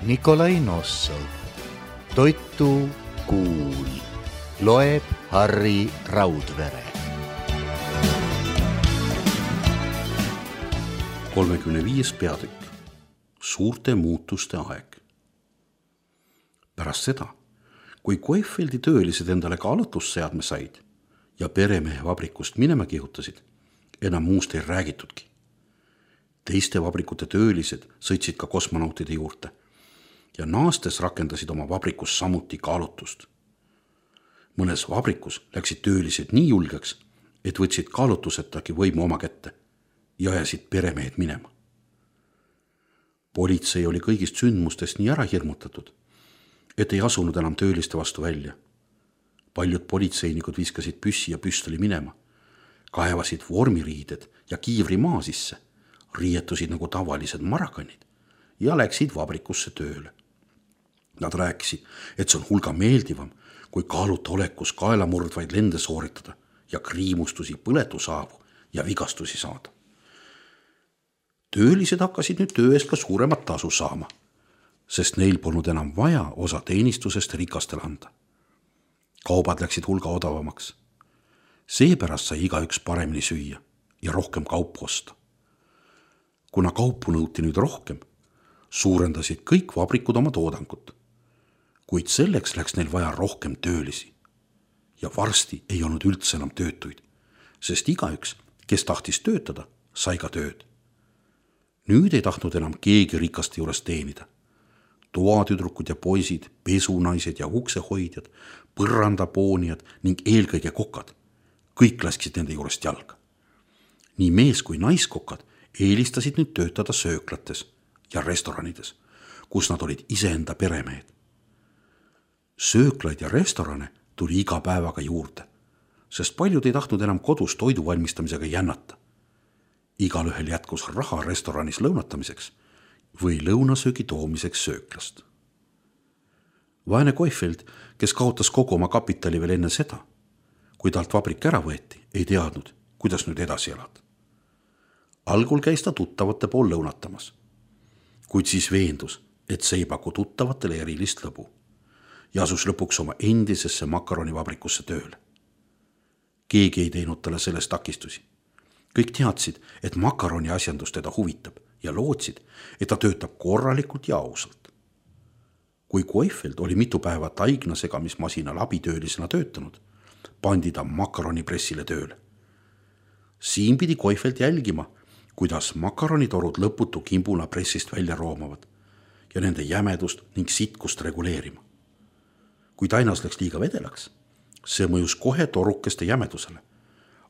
Nikolai Nossov. Toitu kuul. Loeb Harri Raudvere. 35. peatükk. Suurte muutuste aeg. Pärast seda, kui Koifeldi töölised endale kaalutlusseadme said ja peremehe vabrikust minema kihutasid, enam muust ei räägitudki. Teiste vabrikute töölised sõitsid ka kosmonautide juurde ja naastes rakendasid oma vabrikus samuti kaalutlust. Mõnes vabrikus läksid töölised nii julgeks, et võtsid kaalutlusetagi võimu oma kätte ja ajasid peremehed minema. Politsei oli kõigist sündmustest nii ära hirmutatud, et ei asunud enam tööliste vastu välja. Paljud politseinikud viskasid püssi ja püstoli minema, kaevasid vormiriided ja kiivri maa sisse, riietusid nagu tavalised marakanid ja läksid vabrikusse tööle. Nad rääkisid, et see on hulga meeldivam, kui kaaluta olekus kaelamurdvaid lende sooritada ja kriimustusi, põletusaavu ja vigastusi saada. Töölised hakkasid nüüd töö eest ka suuremat tasu saama, sest neil polnud enam vaja osa teenistusest rikastele anda. Kaubad läksid hulga odavamaks. Seepärast sai igaüks paremini süüa ja rohkem kaupu osta. Kuna kaupu nõuti nüüd rohkem, suurendasid kõik vabrikud oma toodangut. Kuid selleks läks neil vaja rohkem töölisi. Ja varsti ei olnud üldse enam töötuid, sest igaüks, kes tahtis töötada, sai ka tööd. Nüüd ei tahtnud enam keegi rikaste juures teenida. Toatüdrukud ja poisid, pesunaised ja uksehoidjad, põrandapoonijad ning eelkõige kokad. Kõik lasksid nende juurest jalga. Nii mees kui naiskokad eelistasid nüüd töötada sööklates ja restoranides, kus nad olid iseenda peremehed. Sööklaid ja restorane tuli iga päevaga juurde, sest paljud ei tahtnud enam kodus toidu valmistamisega jännata. Igalühel jätkus raha restoranis lõunatamiseks või lõunasöögi toomiseks sööklast. Vaene Koifeld, kes kaotas kogu oma kapitali veel enne seda, kui talt vabrik ära võeti, ei teadnud, kuidas nüüd edasi elada. Algul käis ta tuttavate pool lõunatamas, kuid siis veendus, et see ei paku tuttavatele erilist lõbu ja asus lõpuks oma endisesse makaronivabrikusse tööle. Keegi ei teinud talle sellest takistusi. Kõik teadsid, et makaroni asjandus teda huvitab ja lootsid, et ta töötab korralikult ja ausalt. Kui Koifeld oli mitu päeva taigna segamismasinal abitöölisena töötanud, pandi ta makaronipressile tööle. Siin pidi Koifeld jälgima, kuidas makaronitorud lõputu kimbuna pressist välja roomavad ja nende jämedust ning sitkust reguleerima. Kui tainas läks liiga vedelaks, see mõjus kohe torukeste jämedusele.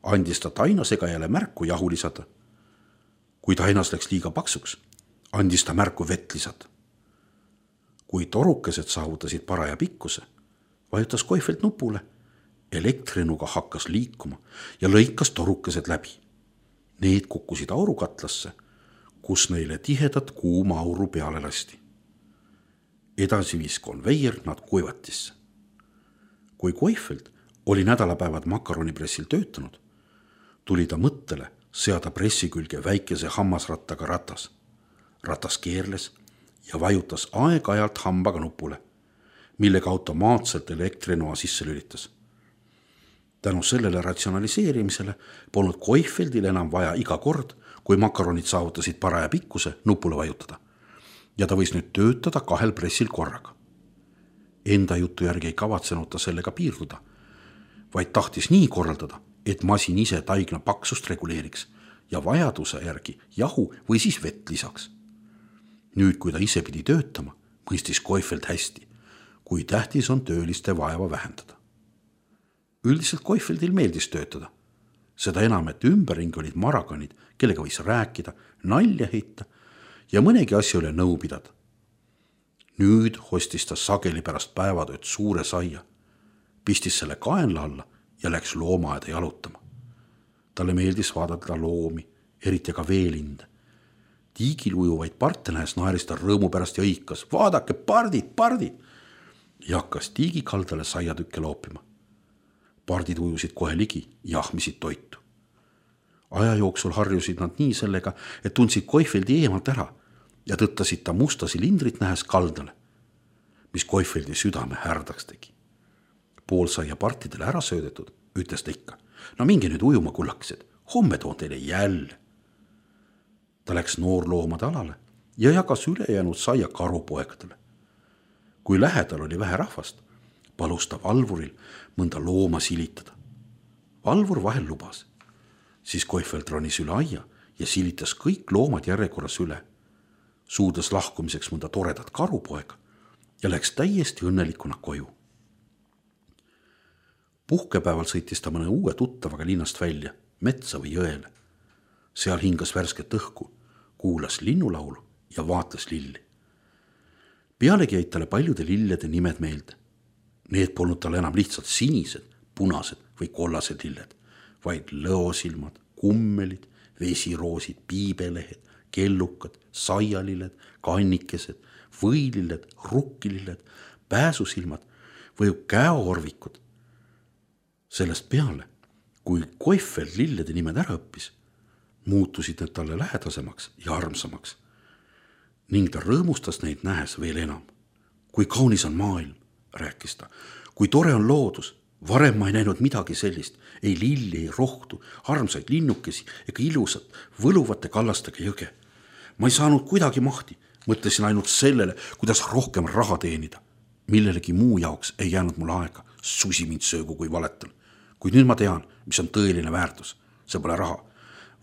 Andis ta tainasegajale märku jahu lisada. Kui tainas läks liiga paksuks, andis ta märku vett lisada. Kui torukesed saavutasid paraja pikkuse, vajutas Koifeld nupule, elektrinuga hakkas liikuma ja lõikas torukesed läbi. Need kukkusid aurukatlasse, kus neile tihedat kuuma auru peale lasti. Edasi viis konveier nad kuivatisse. Kui Koifeld oli nädalapäevad makaronipressil töötanud, tuli ta mõttele seada pressi külge väikese hammasrattaga ratas. Ratas keerles ja vajutas aeg-ajalt hambaga nupule, millega automaatselt elektrinoa sisse lülitas. Tänu sellele ratsionaliseerimisele polnud Koifeldil enam vaja iga kord, kui makaronid saavutasid paraja pikkuse, nupule vajutada. Ja ta võis nüüd töötada 2 pressil korraga. Enda jutu järgi ei kavatsenud ta sellega piirduda, vaid tahtis nii korraldada, et masin ise taigna paksust reguleeriks ja vajaduse järgi jahu või siis vett lisaks. Nüüd, kui ta ise pidi töötama, mõistis Koifeld hästi, kui tähtis on tööliste vaeva vähendada. Üldiselt Koifeldil meeldis töötada. Seda enam, et ümberring olid marakanid, kellega võis rääkida, nalja heita ja mõnegi asja üle nõu pidada. Nüüd hostis ta sageli pärast päevatööd suure saia, pistis selle kaenla alla ja läks loomaaeda jalutama. Talle meeldis vaadata loomi, eriti ka veelinde. Tiigil ujuvaid parte nähes naeris ta rõõmu pärast ja õikas, vaadake, pardid! Ja hakkas tiigi kaldale saiatükke loopima. Pardid ujusid kohe ligi ja ahmisid toitu. Aja jooksul harjusid nad nii sellega, et tundsid Koifeldi eemalt ära ja tõttasid ta musta silindrit nähes kaldale, mis Koifeldi südame härdaks tegi. Pool saia partidele ära söödetud, ütles ta ikka. No minge nüüd ujuma, kullakesed, homme toon teile jälle. Ta läks noorloomade alale ja jagas ülejäänud saia karupoegadele. Kui lähedal oli vähe rahvast, palus ta valvuril mõnda looma silitada. Valvur vahel lubas. Siis Koifeld ronis üle aia ja silitas kõik loomad järjekorras üle. Suudas lahkumiseks mõnda toredat karupoega ja läks täiesti õnnelikuna koju. Puhkepäeval sõitis ta mõne uue tuttavaga linnast välja, metsa või jõele. Seal hingas värsket õhku, kuulas linnulaulu ja vaatas lilli. Pealegi jäid talle paljude lillede nimed meelde. Need polnud talle enam lihtsalt sinised, punased või kollased lilled, vaid lõosilmad, kummelid, vesiroosid, piibelehed, kellukad, saialilled, kannikesed, võililled, rukkililled, pääsusilmad või käeorvikud. Sellest peale, kui Koifeld lillede nimed ära õppis, muutusid need talle lähedasemaks ja armsamaks. Ning ta rõõmustas neid nähes veel enam. Kui kaunis on maailm, rääkis ta, kui tore on loodus. Varem ma ei näinud midagi sellist, ei lilli, ei rohtu, armsaid linnukesi ega ilusat, võluvate kallastega jõge. Ma ei saanud kuidagi mahti, mõtlesin ainult sellele, kuidas rohkem raha teenida. Millelegi muu jaoks ei jäänud mul aega, susi mind söögu kui valetal. Kuid nüüd ma tean, mis on tõeline väärtus. See pole raha,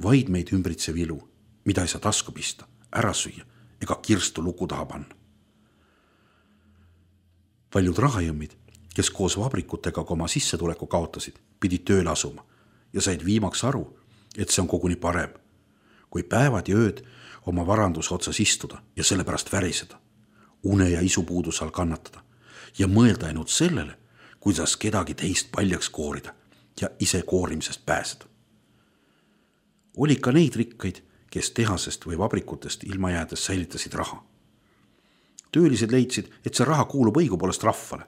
vaid meid ümbritsev ilu, mida ei saa tasku pista, ära süüa ega kirstu luku taha panna. Paljud rahajõmmid, kes koos vabrikutega oma sissetuleku kaotasid, pidid tööle asuma ja said viimaks aru, et see on koguni parem, kui päevad ja ööd oma varanduse otsas istuda ja sellepärast väriseda, une ja isupuudus all kannatada ja mõelda ainult sellele, kuidas kedagi teist paljaks koorida ja ise koorimisest pääseda. Oli ka neid rikkaid, kes tehasest või vabrikutest ilma jäädes säilitasid raha. Töölised leidsid, et see raha kuulub õigupoolest rahvale,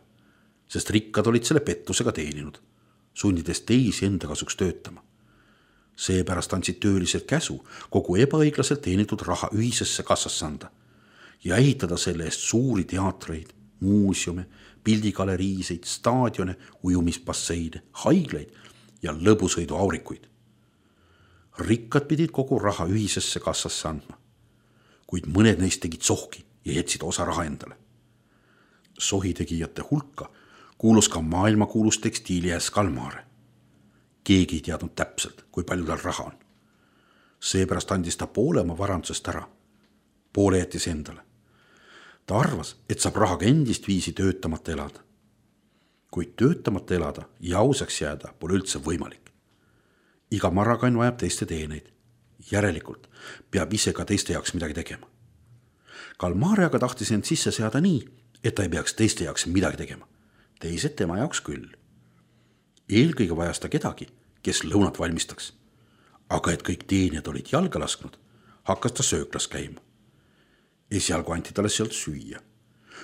sest rikkad olid selle pettusega teeninud, sundides teisi enda kasuks töötama. Seepärast andsid töölised käsu kogu ebaõiglaselt teenitud raha ühisesse kassasse anda ja ehitada selle eest suuri teatreid, muuseume, pildigaleriiseid, staadione, ujumispasseide, haiglaid ja lõbusõiduaurikuid. Rikkad pidid kogu raha ühisesse kassasse andma, kuid mõned neist tegid sohki ja jätsid osa raha endale. Sohitegijate hulka kuulus ka maailmakuulus tekstiiliäs Kalmare. Keegi ei teadnud täpselt, kui palju tal raha on. Seepärast andis ta poole oma varandusest ära, poole jättis endale. Ta arvas, et saab rahaga endist viisi töötamata elada. Kuid töötamata elada ja ausaks jääda pole üldse võimalik. Iga marakann vajab teiste teeneid. Järelikult peab ise ka teiste jaoks midagi tegema. Kalmare aga tahtis end sisse seada nii, et ta ei peaks teiste jaoks midagi tegema. Teised tema jaoks küll. Eelkõige vajas ta kedagi, kes lõunat valmistaks. Aga et kõik teenijad olid jalga lasknud, hakkas ta sööklas käima. Esialgu anti talle sealt süüa.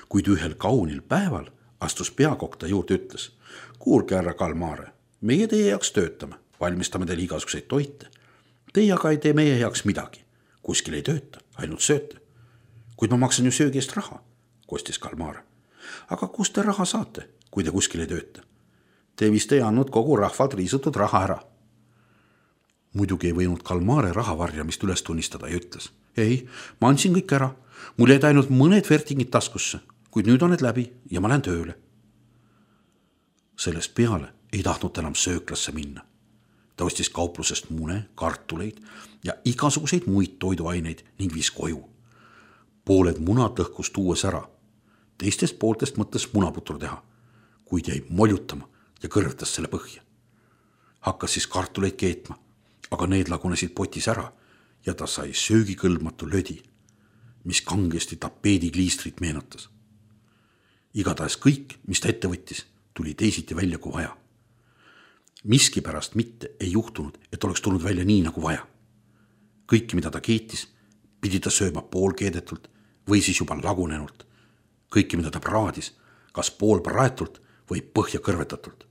Kuid ühel kaunil päeval astus peakokk ta juurde ütles: kuulge, härra Kalmare, meie teie jaoks töötame, valmistame teile igasuguseid toite. Teie aga ei tee meie jaoks midagi. Kuskil ei tööta, ainult sööte. Kuid ma maksan ju söögi eest raha, kostis Kalmare. Aga kust te raha saate, kui te kuskil ei tööta? Te vist ei andnud kogu rahvalt riisutud raha ära. Muidugi ei võinud Kalmare rahavarjamist üles tunnistada ja ütles: ei, ma andsin kõik ära. Mul jäid ainult mõned vertingid taskusse, kuid nüüd on need läbi ja ma lähen tööle. Sellest peale ei tahtnud enam sööklasse minna. Ta ostis kauplusest mune, kartuleid ja igasuguseid muid toiduaineid ning viis koju. Pooled munad lõhkus tuues ära. Teistest pooltest mõtles munaputru teha, kuid jäi moljutama ja kõrvetas selle põhja. Hakkas siis kartuleid keetma, aga need lagunesid potis ära ja ta sai söögikõlbmatu lödi, mis kangesti tapeedikliistrit meenutas. Igatahes kõik, mis ta ette võttis, tuli teisiti välja kui vaja. Miski pärast mitte ei juhtunud, et oleks tulnud välja nii nagu vaja. Kõiki, mida ta keetis, pidi ta sööma poolkeedetult või siis juba lagunenult. Kõiki, mida ta praadis, kas pool praetult või põhja kõrvetatult,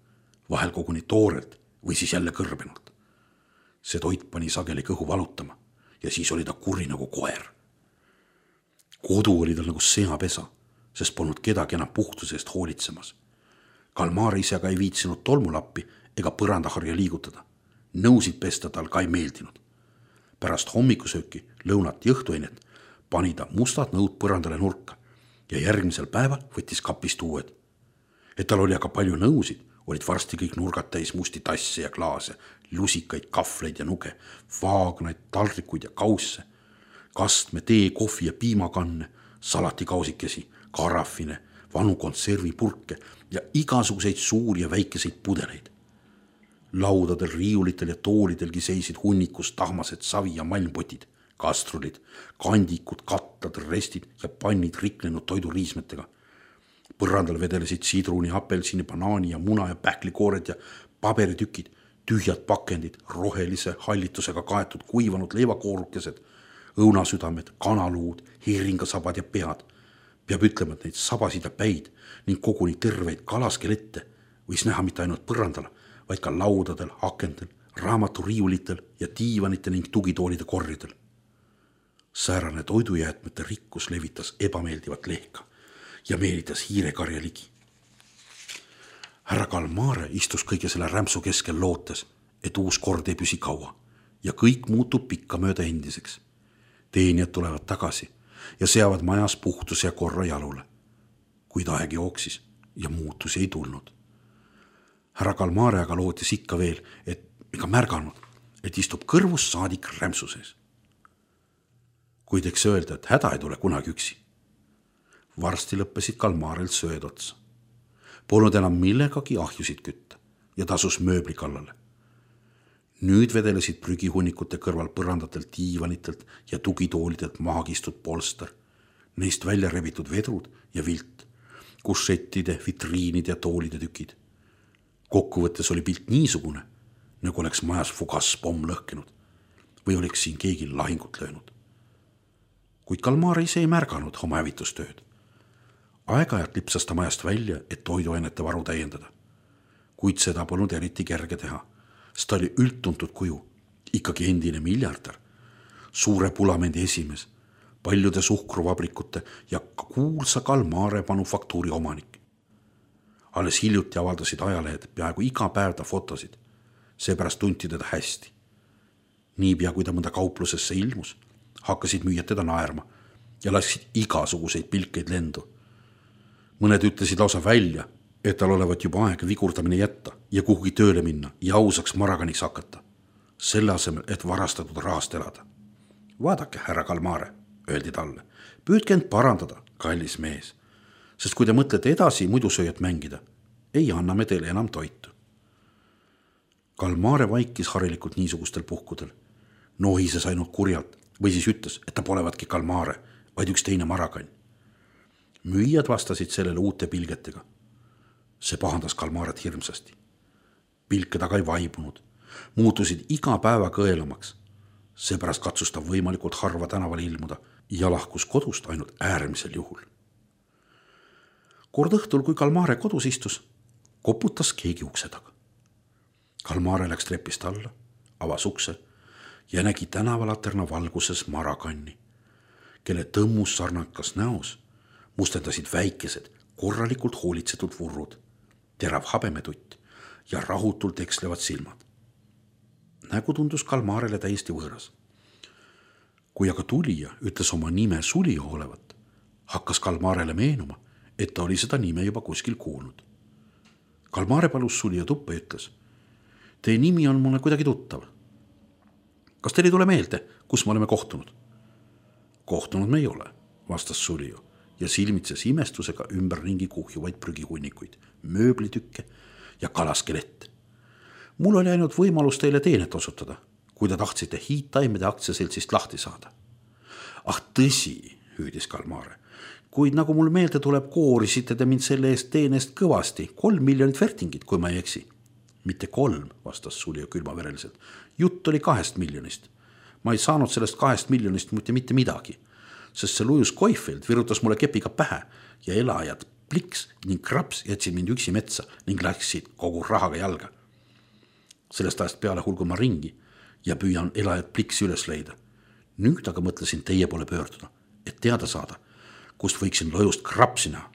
vahel koguni toorelt või siis jälle kõrbenult. See toit pani sageli kõhu valutama ja siis oli ta kuri nagu koer. kodu oli tal nagu seapesa, sest polnud kedagi enam puhtuse eest hoolitsemas. Kalmar ise aga ei viitsinud tolmulappi ega põrandaharja liigutada. Nõusid pesta tal ka ei meeldinud. Pärast hommikusööki, lõunat ja õhtuainet pani ta mustad nõud põrandale nurka ja järgmisel päeval võttis kapist uued. Et tal oli aga palju nõusid, olid varsti kõik nurgad täis musti tasse ja klaase, lusikaid, kahvleid ja nuge, vaagnaid, taldrikuid ja kausse, kastme, tee, kohvi ja piimakanne, salatikausikesi, karafine, vanu konservipurke ja igasuguseid suuri ja väikeseid pudeleid. Laudadel, riiulitel ja toolidelgi seisid hunnikus tahmased savi- ja malmpotid, kastrulid, kandikud, kattad, restid ja pannid riknenud toiduriismetega. Põrandal vedelesid sidruni, apelsini, banaani ja muna ja pähklikoored ja paberitükid, tühjad pakendid, rohelise hallitusega kaetud kuivanud leivakoorukesed, õunasüdamed, kanaluud, heeringasabad ja pead. Peab ütlema, et neid sabasid ja päid ning koguni terveid kalaskelette võis näha mitte ainult põrandal, vaid ka laudadel, akendel, raamaturiiulitel ja diivanite ning tugitoolide korridel. Säärane toidujäätmete rikkus levitas ebameeldivat lehka ja meelitas hiirekarja ligi. Härra Kalmare istus kõige selle rämpsu keskel lootes, et uus kord ei püsi kaua ja kõik muutub pikkamööda endiseks. Teenijad tulevad tagasi ja seavad majas puhtuse ja korra jalule. Kuid aeg jooksis ja muutusi ei tulnud. Härra Kalmare aga lootis ikka veel, et ega märganud, et istub kõrvus saadik rämpsu sees. Kuid eks öelda, et häda ei tule kunagi üksi. Varsti lõppesid Kalmarel sööd otsa. Polnud enam millegagi ahjusid kütta ja tasus mööbli kallale. Nüüd vedelesid prügihunnikute kõrval põrandatelt diivanitelt ja tugitoolidelt maagistud polster, neist välja rebitud vedrud ja vilt, kušettide, vitriinide ja toolide tükid. Kokkuvõttes oli pilt niisugune, nagu oleks majas fugaspomm lõhkenud või oleks siin keegi lahingut löönud. Kuid Kalmar ise ei märganud oma hävitustööd. Aeg-ajalt lipsas ta majast välja, et toiduainete varu täiendada. Kuid seda polnud eriti kerge teha, sest ta oli üldtuntud kuju, ikkagi endine miljardär, suure Pulamendi esimees, paljude suhkruvabrikute ja kuulsa Kalmare manufaktuuri omanik. Alles hiljuti avaldasid ajalehed peaaegu iga päev ta fotosid, seepärast tunti teda hästi. Niipea kui ta mõnda kauplusesse ilmus, hakkasid müüjad teda naerma ja lasksid igasuguseid pilkeid lendu. Mõned ütlesid lausa välja, et tal olevat juba aeg vigurdamine jätta ja kuhugi tööle minna ja ausaks maraganiks hakata, selle asemel, et varastatud rahast elada. Vaadake, härra Kalmare, öeldi talle, püüdke end parandada, kallis mees, sest kui te mõtlete edasi mudusööjat mängida, ei anna me teile enam toitu. Kalmare vaikis harilikult niisugustel puhkudel, nohises ainult kurjalt või siis ütles, et ta polevatki Kalmare, vaid üks teine marakann. Müüjad vastasid sellele uute pilgetega. See pahandas Kalmaret hirmsasti. Pilked aga ei vaibunud, muutusid iga päeva kõelamaks. Seepärast katsus ta võimalikult harva tänavale ilmuda ja lahkus kodust ainult äärmisel juhul. Kord õhtul, kui Kalmare kodus istus, koputas keegi ukse taga. Kalmare läks trepist alla, avas ukse ja nägi tänavalaterna valguses marakanni, kelle tõmmus sarnakas näos mustendasid väikesed, korralikult hoolitsetud vurrud, terav habemetutt ja rahutult ekslevad silmad. Nägu tundus Kalmarele täiesti võõras. Kui aga tulija ütles oma nime Sulio olevat, hakkas Kalmarele meenuma, et ta oli seda nime juba kuskil kuulnud. Kalmare palus Sulio tuppa ja ütles, teie nimi on mulle kuidagi tuttav. Kas teil ei tule meelde, kus me oleme kohtunud? Kohtunud me ei ole, vastas Sulio ja silmitses imestusega ümberringi kuhjuvaid prügihunnikuid, mööblitükke ja kalaskelette. Mul oli ainult võimalus teile teenet osutada, kui te tahtsite hiidtaimede aktsiaseltsist lahti saada. Ah tõsi, hüüdis Kalmare, kuid nagu mul meelde tuleb, koorisite te mind selle eest teenest kõvasti, 3 miljonit vertingit, kui ma ei eksi. Mitte 3, vastas Sulio külmavereliselt. Jutt oli 2 miljonist. Ma ei saanud sellest 2 miljonist mitte midagi, sest see lujus Koifeld virutas mulle kepiga pähe ja elajad Pliks ning Kraps jätsid mind üksi metsa ning läksid kogu rahaga jalga. Sellest ajast peale hulgun ma ringi ja püüan elajad Pliksi üles leida. Nüüd aga mõtlesin teie poole pöörduda, et teada saada, kust võiksin lojust krapsi näha.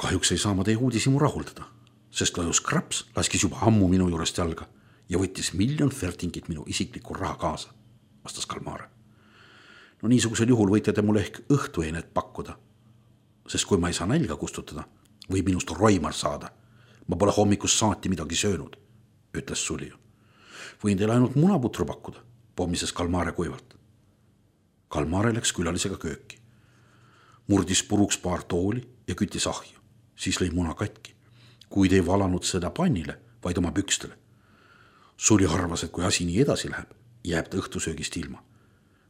Kahjuks ei saa ma teie uudisimu rahuldada, sest lojus kraps laskis juba ammu minu juurest jalga ja võttis 1 000 000 fertingit minu isiklikku raha kaasa, vastas Kalmare. No niisugusel juhul võite te mulle ehk õhtueinet pakkuda, sest kui ma ei saa nälga kustutada, võib minust roimar saada. Ma pole hommikust saati midagi söönud, ütles Sulio. Võin teile ainult munaputru pakkuda, pommises Kalmare kuivalt. Kalmare läks külalisega kööki. Murdis puruks paar tooli ja küttis ahju, siis lõi muna katki, kuid ei valanud seda pannile, vaid oma pükstele. Sulio arvas, et kui asi nii edasi läheb, jääb ta õhtusöögist ilma.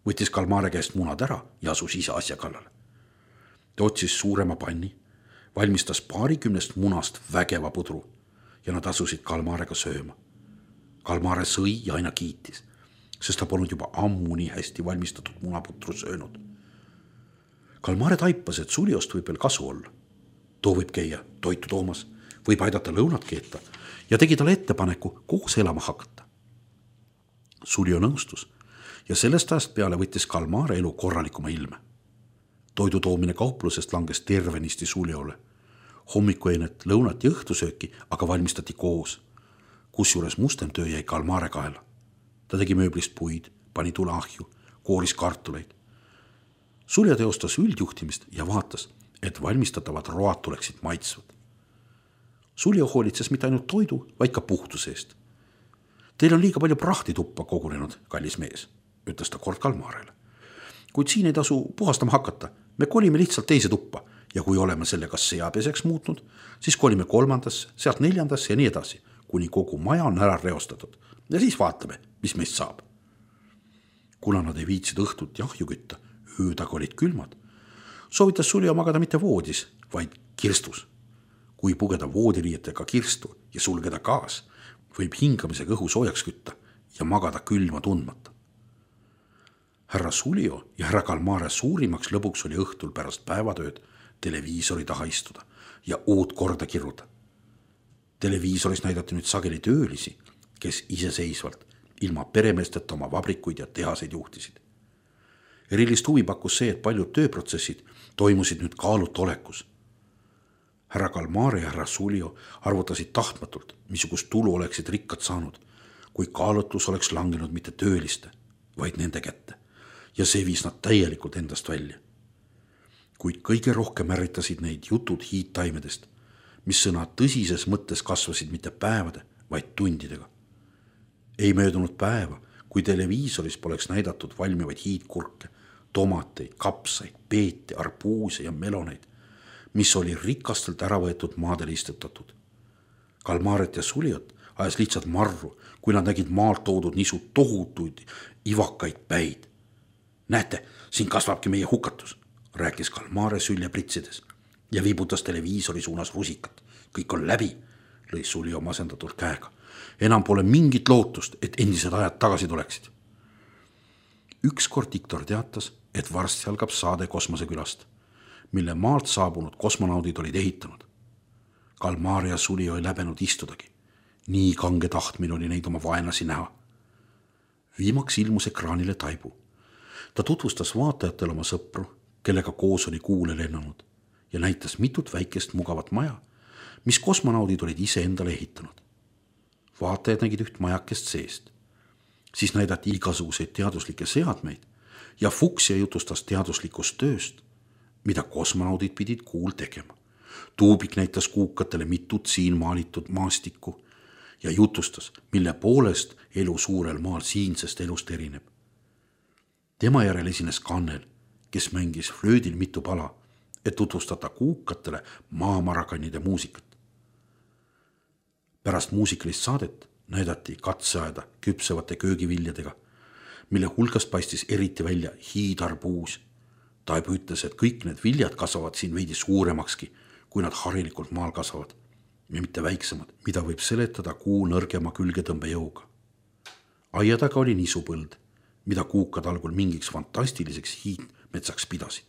Võttis Kalmare käest munad ära ja asus ise asja kallale. Ta otsis suurema panni, valmistas 20 munast vägeva pudru ja nad asusid Kalmarega sööma. Kalmare sõi ja aina kiitis, sest ta polnud juba ammu nii hästi valmistatud munaputru söönud. Kalmare taipas, et Suliost võib veel kasu olla. Too võib käia toitu toomas, võib aidata lõunat keeta ja tegi talle ettepaneku koos elama hakata. Sulio nõustus ja sellest ajast peale võttis Kalmare elu korralikuma ilme. Toidu toomine kauplusest langes tervenisti Suliole. Hommikueinet, lõunat ja õhtusööki aga valmistati koos, kusjuures mustem töö jäi Kalmare kaela. Ta tegi mööblist puid, pani tule ahju, kooris kartuleid. Sulja teostas üldjuhtimist ja vaatas, et valmistatavad road tuleksid maitsvad. Sulja hoolitses mitte ainult toidu, vaid ka puhtuse eest. Teil on liiga palju prahtituppa kogunenud, kallis mees, ütles ta kord Kalmarele. Kuid siin ei tasu puhastama hakata, me kolime lihtsalt teise tuppa ja kui oleme selle kas seapeseks muutnud, siis kolime 3., sealt 4. ja nii edasi, kuni kogu maja on ära reostatud ja siis vaatame, mis meist saab. Kuna nad ei viitsid õhtut jahju kütta, öödaga olid külmad, soovitas Sulja magada mitte voodis, vaid kirstus. Kui pugeda voodiriietega kirstu ja sulgeda gaas, võib hingamisega õhu soojaks kütta ja magada külma tundmata. Härra Sulio ja härra Kalmare suurimaks lõbuks oli õhtul pärast päevatööd televiisori taha istuda ja uut korda kirruda. Televiisoris näidati nüüd sageli töölisi, kes iseseisvalt ilma peremeesteta oma vabrikuid ja tehaseid juhtisid. Erilist huvi pakkus see, et paljud tööprotsessid toimusid nüüd kaalut olekus. Härra Kalmare ja härra Sulio arvutasid tahtmatult, missugust tulu oleksid rikkad saanud, kui kaalutlus oleks langenud mitte tööliste, vaid nende kätte ja see viis nad täielikult endast välja. Kuid kõige rohkem ärritasid neid jutud hiidtaimedest, mis sõna tõsises mõttes kasvasid mitte päevade, vaid tundidega. Ei möödunud päeva, kui televiisoris poleks näidatud valmivaid hiidkurke, tomateid, kapsaid, peete, arbuuse ja meloneid, mis oli rikastelt ära võetud maadele istutatud. Kalmaret ja Suliot ajas lihtsalt marru, kui nad nägid maalt toodud nisu tohutuid ivakaid päid. Näete, siin kasvabki meie hukatus, rääkis Kalmare sülje pritsides ja viibutas televiisori suunas rusikat. Kõik on läbi, lõi Sulio masendatult käega. Enam pole mingit lootust, et endised ajad tagasi tuleksid. Ükskord diktor teatas, et varsti algab saade kosmosekülast, mille maalt saabunud kosmonaudid olid ehitanud. Kalmare ja Sulio ei läbenud istudagi. Nii kange tahtmine oli neid oma vaenlasi näha. Viimaks ilmus ekraanile Taibu. Ta tutvustas vaatajatele oma sõpru, kellega koos oli kuule lennanud ja näitas mitut väikest mugavat maja, mis kosmonaudid olid ise endale ehitanud. Vaatajad nägid üht majakest seest. Siis näidati igasuguseid teaduslikke seadmeid ja Fuchsia jutustas teaduslikust tööst, mida kosmonaudid pidid kuul tegema. Tuubik näitas kuukatele mitut siin maalitud maastikku ja jutustas, mille poolest elu suurel maal siinsest elust erineb. Tema järel esines Kannel, kes mängis flöödil mitu pala, et tutvustada kuukatele maamarakanide muusikat. Pärast muusikalist saadet näidati katseaeda küpsevate köögiviljadega, mille hulgast paistis eriti välja hiidarbuus. Taibu ütles, et kõik need viljad kasvavad siin veidi suuremakski, kui nad harilikult maal kasvavad ja mitte väiksemad, mida võib seletada kuu nõrgema külgetõmbejõuga. Aia taga oli nisupõld, mida kuukad algul mingiks fantastiliseks hiidmetsaks pidasid.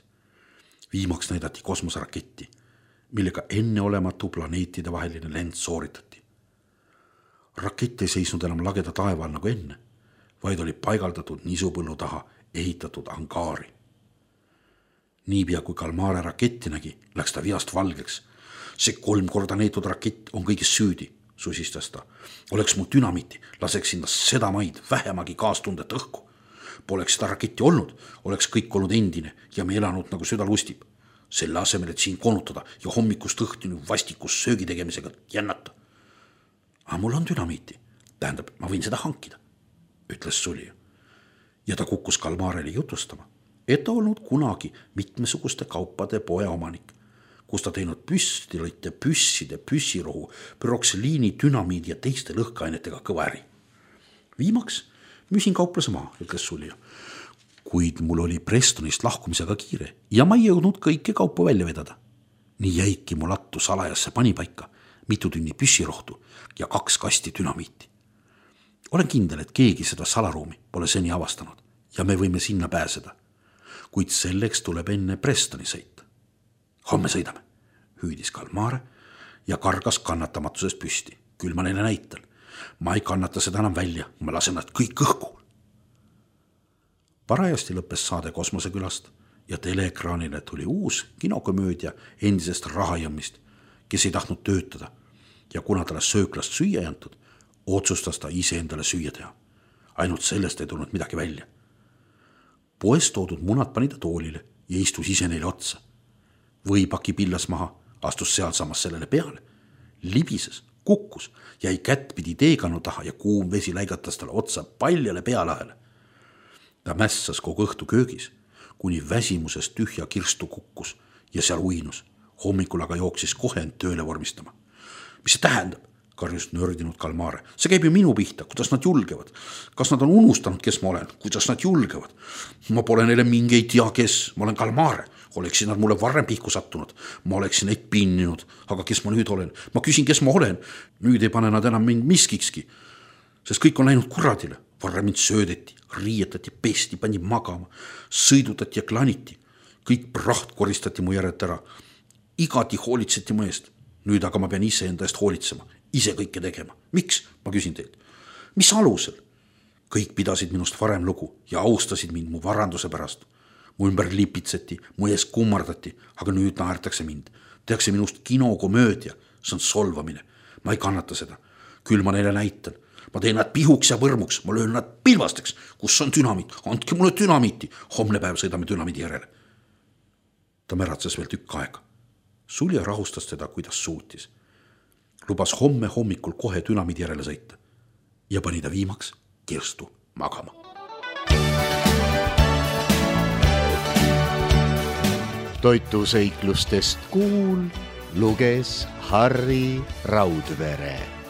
Viimaks näidati kosmoseraketti, millega enneolematu planeetide vaheline lend sooritati. Rakett ei seisnud enam lageda taeval nagu enne, vaid oli paigaldatud nisupõllu taha ehitatud angaari. Niipea kui Kalmare raketti nägi, läks ta vihast valgeks. See 3 korda neetud rakett on kõigis süüdi, susistas ta. Oleks mu dünamiiti, laseks sinna seda maid vähemagi kaastundet õhku. Poleks seda raketti olnud, oleks kõik olnud endine ja me elanud nagu süda lustib. Selle asemel, et siin konutada ja hommikust õhtuni vastikus söögi tegemisega jännata. Aga mul on dünamiiti, tähendab, ma võin seda hankida, ütles sulija. Ja ta kukkus Kalmarele jutustama, et ta olnud kunagi mitmesuguste kaupade poe omanik, kus ta teinud püstilite, püsside, püssirohu, pyrokseliini, dünamiidi ja teiste lõhkeainetega kõva äri. Viimaks müüsin kauplase maha, ütles sulija. Kuid mul oli Prestonist lahkumisega kiire ja ma ei jõudnud kõike kaupa välja vedada. Nii jäiki mu lattu salajasse panipaika, mitu tünni püssirohtu ja 2 kasti dünamiiti. Olen kindel, et keegi seda salaruumi pole seni avastanud ja me võime sinna pääseda. Kuid selleks tuleb enne Prestoni sõita. Homme sõidame, hüüdis Kalmare ja kargas kannatamatuses püsti. Küll ma neile näitan. Ma ei kannata seda enam välja, ma lasen nad kõik õhku. Parajasti lõppes saade Kosmosekülast ja teleekraanile tuli uus kinokomöödia endisest rahajõmmist, kes ei tahtnud töötada ja kuna talle sööklast süüa ei antud, otsustas ta ise endale süüa teha. Ainult sellest ei tulnud midagi välja. Poest toodud munad pani ta toolile ja istus ise neile otsa. Võipaki pillas maha, astus sealsamas sellele peale, libises, kukkus, jäi kättpidi teekanu taha ja kuum vesi läigatas talle otsa paljale pealahele. Ta mässas kogu õhtu köögis, kuni väsimusest tühja kirstu kukkus ja seal uinus. Hommikul aga jooksis kohe end tööle vormistama. Mis see tähendab? Karjus nördinud Kalmare. See käib ju minu pihta, kuidas nad julgevad. Kas nad on unustanud, kes ma olen? Kuidas nad julgevad? Ma pole neile mingeid tea kes. Ma olen Kalmare. Oleksin nad mulle varem pihku sattunud. Ma oleksin neid pinninud. Aga kes ma nüüd olen? Ma küsin, kes ma olen. Nüüd ei pane nad enam mind miskikski. Sest kõik on läinud kuradile. Varem mind söödeti, riietati, pesti, pandi magama, sõidutati ja klaniti. Kõik praht koristati mu järelt ära. Igati hoolitseti mu eest. Nüüd aga ma pean ise enda eest hoolitsema, ise kõike tegema. Miks? Ma küsin teilt. Mis alusel? Kõik pidasid minust varem lugu ja austasid mind mu varanduse pärast. Mu ümber lipitseti, mu ees kummardati, aga nüüd naertakse mind. Tehakse minust kinokomöödia, see on solvamine. Ma ei kannata seda. Küll ma neile näitan. Ma teen nad pihuks ja võrmuks, ma löön nad pilvasteks. Kus on dünamiit? Andke mulle dünamiiti. Homne päev sõidame dünamiidi järele. Ta märatses veel tükk aega. Sulja rahustas teda, kuidas suutis. Lubas homme hommikul kohe dünamiidi järele sõita ja pani ta viimaks kirstu magama. Toituseiklustest kuul luges Harri Raudvere.